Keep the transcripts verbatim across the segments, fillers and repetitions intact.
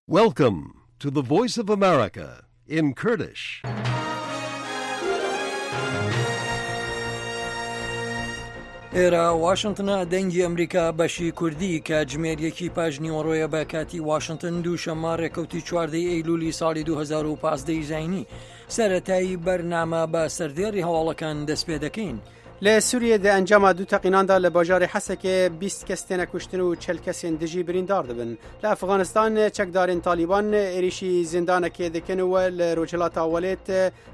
Welcome to the Voice of America in Kurdish. ئێرە واشنتنە، دەنگی ئەمریکا بەشی کوردی، کاتژمێر یەکی پاش نیوەڕۆیە بە کاتی واشنتن، دووشەممە ڕێکەوتی چواردەی ئەیلولی ساڵی دوو هەزار و پازدە ی زاینی. سەرەتایی بەرنامە بە سەردێڕی هەواڵەکان دەست پێ دەکەین. لە سووریە دە ئەنجاما دوو تەقیناندا لە باژارê حەسەکێ بیست کەس تێنە کوشتن و چل کەسên dijî بریندار دبن. لە ئەفغانستان چەکدارên تالیبان êrişî zindanekê dikin و li Rojhilata Welêt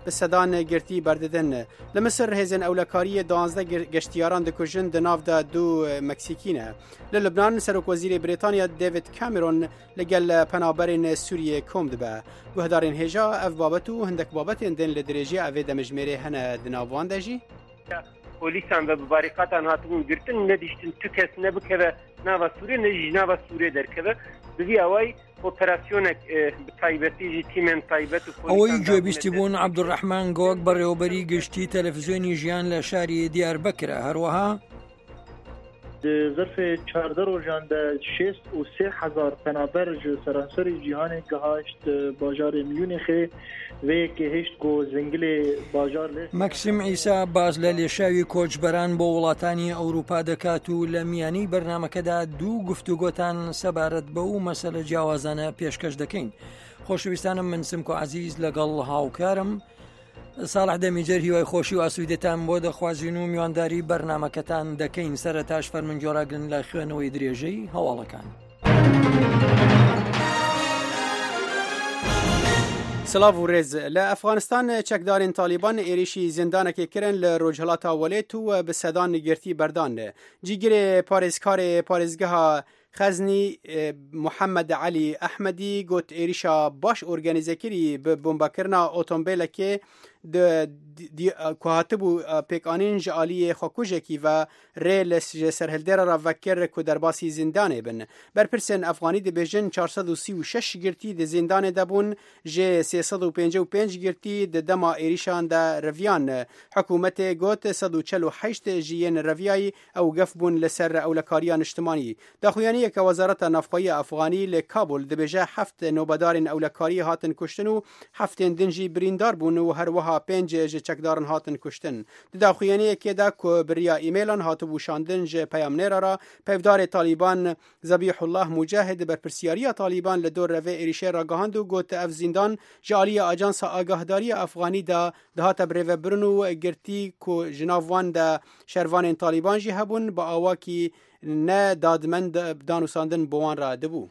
bi sedan girtî berdidin. Li Misir hêzên ewlekariyê duwazdeh geştiyaran dikujin, di nav de du Meksîkî ne. Li Lubnan Serokwezîrê Brîtanya David Cameron li gel penaberên Sûriyê kom dibe. Guhdarên hêja ev babet û hindek babetên din li dirêjiya evê demijmêrê hene di nav wan de jî. Polîsan ve bi barîkatan hatibûn girtin, nedîştin tu kes ne bikeve nava Sûriyê ne jî nava Sûriyê derkeve. Bi vî awayî operasyonek bi taybetî jî tîmên taybet û polîsan ئەوەی گوێبیستی بوون عەبدولڕەحمان گۆک بەڕێوەبەری گشتی تەلەڤیزیۆنی ژیان لە شاری دیاربەکرە. هەروەها ظرف چهارده روزان ده شست و سه هزار پنابر ji seranserê cîhanê gihaşt bajarê Münîxê vê yekê hişt ku zingilê bajar lê مەکسیم عیسا باز لە لێشاوی کۆچبەران بۆ وڵاتانی ئەوروپا دەکات و لە میانی بەرنامەکەدا دوو گفتوگۆتان سەبارەت بەو مەسەلە جیاوازانە پێشکەش دەکەین. خۆشەویستانم، من سمکۆ عەزیز لەگەڵ هاوکارم ساڵح دەمیجەر هیوای خۆشی و ئاسوودەتان بۆ دەخوازین و میوانداری بەرنامەکەتان دەکەین. سەرەتاش فەرمونگێڕاگرن لە خوێنەوەی درێژەی هەواڵەکان. سلاv û rêz. Li Efxanistan çekdarên Taliban êrişî zindanekê kirin li Rojhilata Welêt û bi sedan girtî berdan. Cîgirê parêzkarê parêzgeha Xeznî Muhammed Elî Ehmedî got êrişa baş organîzekirî bi bombakirina otomobîlekê ku hatibû pêkanîn ji aliyê xwekujekî ve rê li ji serhildêra re vekir ku derbasî zindanê bin. Berpirsên Efxanî dibêjin çar sed û sî û şeş girtî di zindanê de bûn, ji sê sed û pêncî û pênc girtî di dema êrişan de reviyan. Hikûmetê got sed û çel û heşt ji yên reviyayî ew gef bûn li ser ewlekariya niştimanî. Daxuyaniyeke Wezareta Navxweyî Efxanî li Kabul dibêje heft nobedarên ewlekariyê hatin kuştin û heftên din jî birîndar bûn û herwiha pênc ji çekdaran hatin kuştin. Di daxuyaniyekê de ku bi riya e-mailan hatibû şandin ji peyamnêra re peyvdarê Taliban Zebîhullah Mucahid berpirsiyariya Taliban li dor revê êrişê ragihand û got ev zindan ji aliyê Ajansa Agahdariya Efxanî de dihate birêvebirin û girtî ku ji nav wan de şervanên Taliban jî hebûn bi awakî ne dadmend danûsandin bi wan re dibû.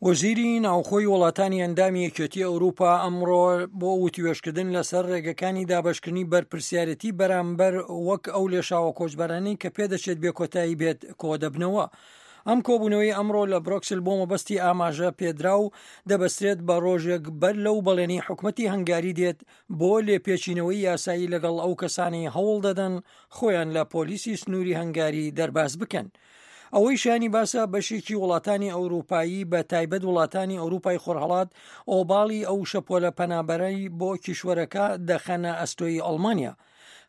وەزیری ناوخۆی وڵاتانی ئەندامی یەکێتی ئەوروپا ئەمڕۆ بۆ وتوێژکردن لەسەر ڕێگەکانی دابەشکردنی بەرپرسیارەتی بەرامبەر وەک ئەو لێشاوە کۆچبەرانەی کە پێدەچێت بێکۆتایی بێت کۆدەبنەوە. ئەم کۆبوونەوەی ئەمڕۆ لە برۆکسل بۆ مەبەستی ئاماژە پێدرا و دەبەسترێت بە ڕۆژێک بەر لەو بەڵێنی حکومەتی هەنگاری دێت بۆ لێپێچینەوەی یاسایی لەگەڵ ئەو کەسانەی هەوڵ دەدەن خۆیان لە پۆلیسی سنووری هەنگاری دەرباز بکەن. ئەوەی شانی باسە بەشێکی وڵاتانی ئەوروپایی بە تایبەت وڵاتانی ئەوروپای خۆرهەڵات ئۆباڵی ئەو شەپۆلە پەنابەرەی بۆ کیشوەرەکە دەخەنە ئەستۆی ئەڵمانیا.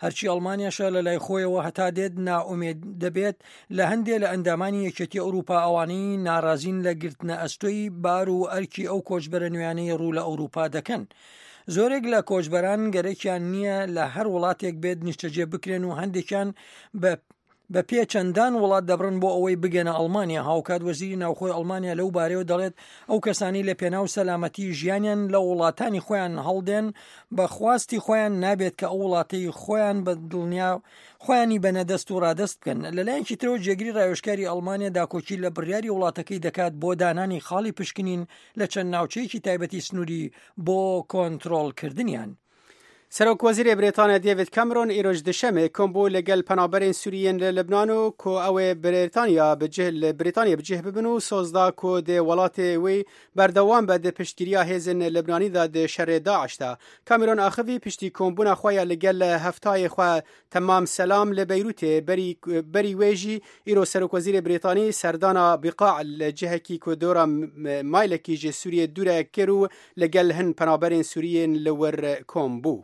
هەرچی ئەڵمانیاشە لە لای خۆیەوە هەتا دێت نائومێد دەبێت لە هەندێک لە ئەندامانی یەکێتی ئەوروپا ئەوانەی ناڕازین لە گرتنە ئەستۆی بار و ئەرکی ئەو کۆچبەرە نوێیانەی ڕوو لە ئەوروپا دەکەن. زۆرێک لە کۆچبەران گەرەکیان نییە لە هەر وڵاتێک بێت نیشتەجێ بکرێن و هەندێکیان بە بە پێ چەندان وڵات دەبڕن بۆ ئەوەی بگەنە ئەڵمانیا. هاوکات وەزیری ناوخۆی ئەڵمانیا لەو بارەیەوە دەڵێت ئەو کەسانی لە پێناو سەلامەتی ژیانیان لە وڵاتانی خۆیان هەڵدێن بە خواستی خۆیان نابێت کە ئەو وڵاتەی خۆیان بە دڵنیا خۆیانی بەنەدەست و ڕادەست بکەن. لەلایەکی ترەوە جێگری ڕاوێژکاری ئەڵمانیا داکۆکی لە بڕیاری وڵاتەکەی دەکات بۆ دانانی خاڵی پشکنین لە چەند ناوچەیەکی تایبەتی سنووری بۆ کۆنترۆڵکردنیان. سەرۆک وەزیرê Brîtanya David Cameron îroj duşemê kom bû li gel penaberên Sûriyên li Libnan û ku ew ê Brîtanya bi cih li Brîtanya bi cih bibin û soz da ku dê welatê wî berdewam be di piştgiriya hêzên Libnanî de di şerê Daeş de. Cameron axivî piştî kombûna xwe ya li gel heftayê xwe Temam Selam li Beyrûtê berî berî wê jî îro Serokwezîrê Brîtanî serdana Biqa li cihekî ku dora maylekî ji Sûriyê dûr e kir û li gel hin penaberên Sûriyên li wir kom bû.